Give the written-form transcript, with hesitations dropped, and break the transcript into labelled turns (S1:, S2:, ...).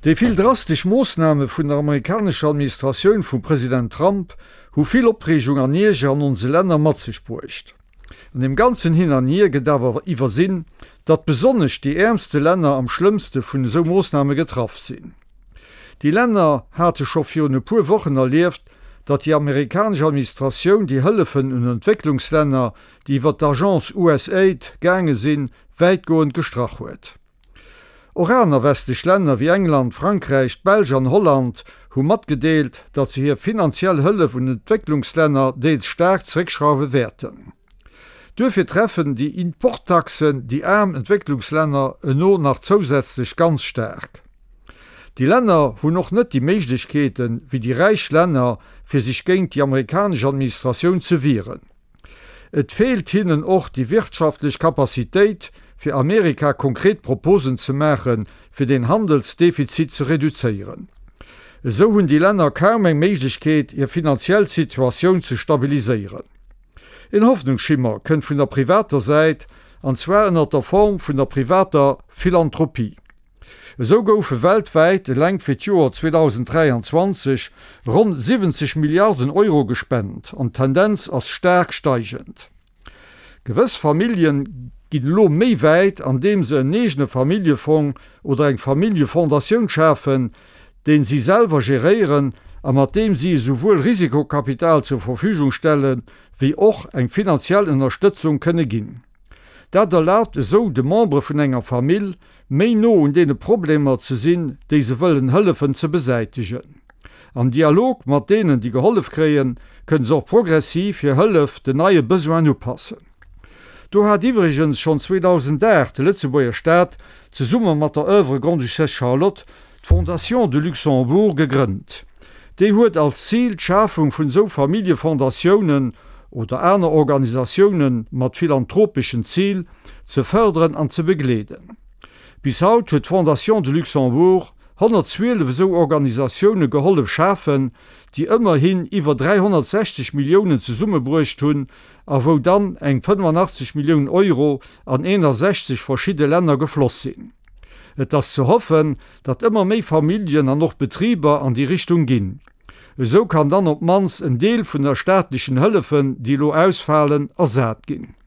S1: Déi vill drastesch Moossname vun der amerikanescher Administratioun vum President Trump hu vill Opreegung an Ierger an onse Länner mat sech bruecht. An deem ganzen Hin an Hier gëtt awer iwwersinn, datt besonnesch déi äermste Länner am schlëmmste vun esou Moossname getraff sinn. Déi Länner hate scho virun e puer Wochen erlieft, datt déi amerikanesch Administratioun déi Hëllefen un Entwécklungslänner, déi iwwer d'Agence USAID gaange sinn, wäitgoend gestrach huet. Och aner westlech Länner wéi England, Frankräich, d'Belsch an Holland hu matgedeelt, datt se hir finanziell Hëllef un Entwécklungslänner deels staark zeréckschrauwe wäerten. Duerfir treffen déi Importtaxen déi aarm Entwécklungslänner eno nach zousätzlech ganz staark. Déi Länner hunn och net déi Méiglechkeete wéi déi räich Länner, fir sech géint déi amerikanesch Administratioun ze wieren. Et feelt hinnen och déi wirtschaftlech Capacitéit, fir Amerika konkret Proposen ze maachen, fir den Handelsdefizit ze reduzéieren. Esou hunn déi Länner kaum eng Méiglechkeet, hir finanziell Situatioun ze stabiliséieren. En Hoffnungsschimmer kënnt vun der privater Säit, an zwar ënnert der Form vun der privater Philanthropie. Esou goufe weltwäit eleng fir d'Joer 2023 ronn 70 Milliarden Euro gespent an d'Tendenz ass staark steigend. Gewëss Familljen ginn elo méi wäit andeem se en eegene Familljefong oder eng Familljefondatioun schafen, deen si selwer geréieren a mat deem si esouwuel Risikokapital zur Verfügung stelle wéi och eng finanziell Ënnerstëtzung kënne ginn. Dat erlaabt esou de Membere vun enger Famill, méi no un deene Problemer ze sinn, déi se wëllen hëllefen ze besäitegen. Am Dialog mat deenen, déi gehollef kréien, kënne se och progressiv hir Hëllef den neie Besoinen upassen. Do hat iwwregens schonn 2008 de Lëtzebuerger Staat zesumme mat der Oeuvre Grande-Duchesse Charlotte d'Fondation du Luxembourg gegrënnt. Déi huet als Zil d'Schafung vun esou Familljefondatiounen oder aner Organisatioune mat philanthropeschen Zil ze fërderen an ze begleeden. Bis haut huet d'Fondation du Luxembourg 112 esou Organisatioune gehollef schafen, déi ëmmerhin iwwer 360 Milliounen zesummebruecht hunn a wou dann eng 85 Milliounen Euro an 61 verschidde Länner gefloss sinn. Et ass ze hoffen, datt ëmmer méi Familljen an och Betriber an déi Richtung ginn. Esou kann dann op d'mannst en Deel vun der staatlechen Hëllefen, déi elo ausfalen, ersat ginn.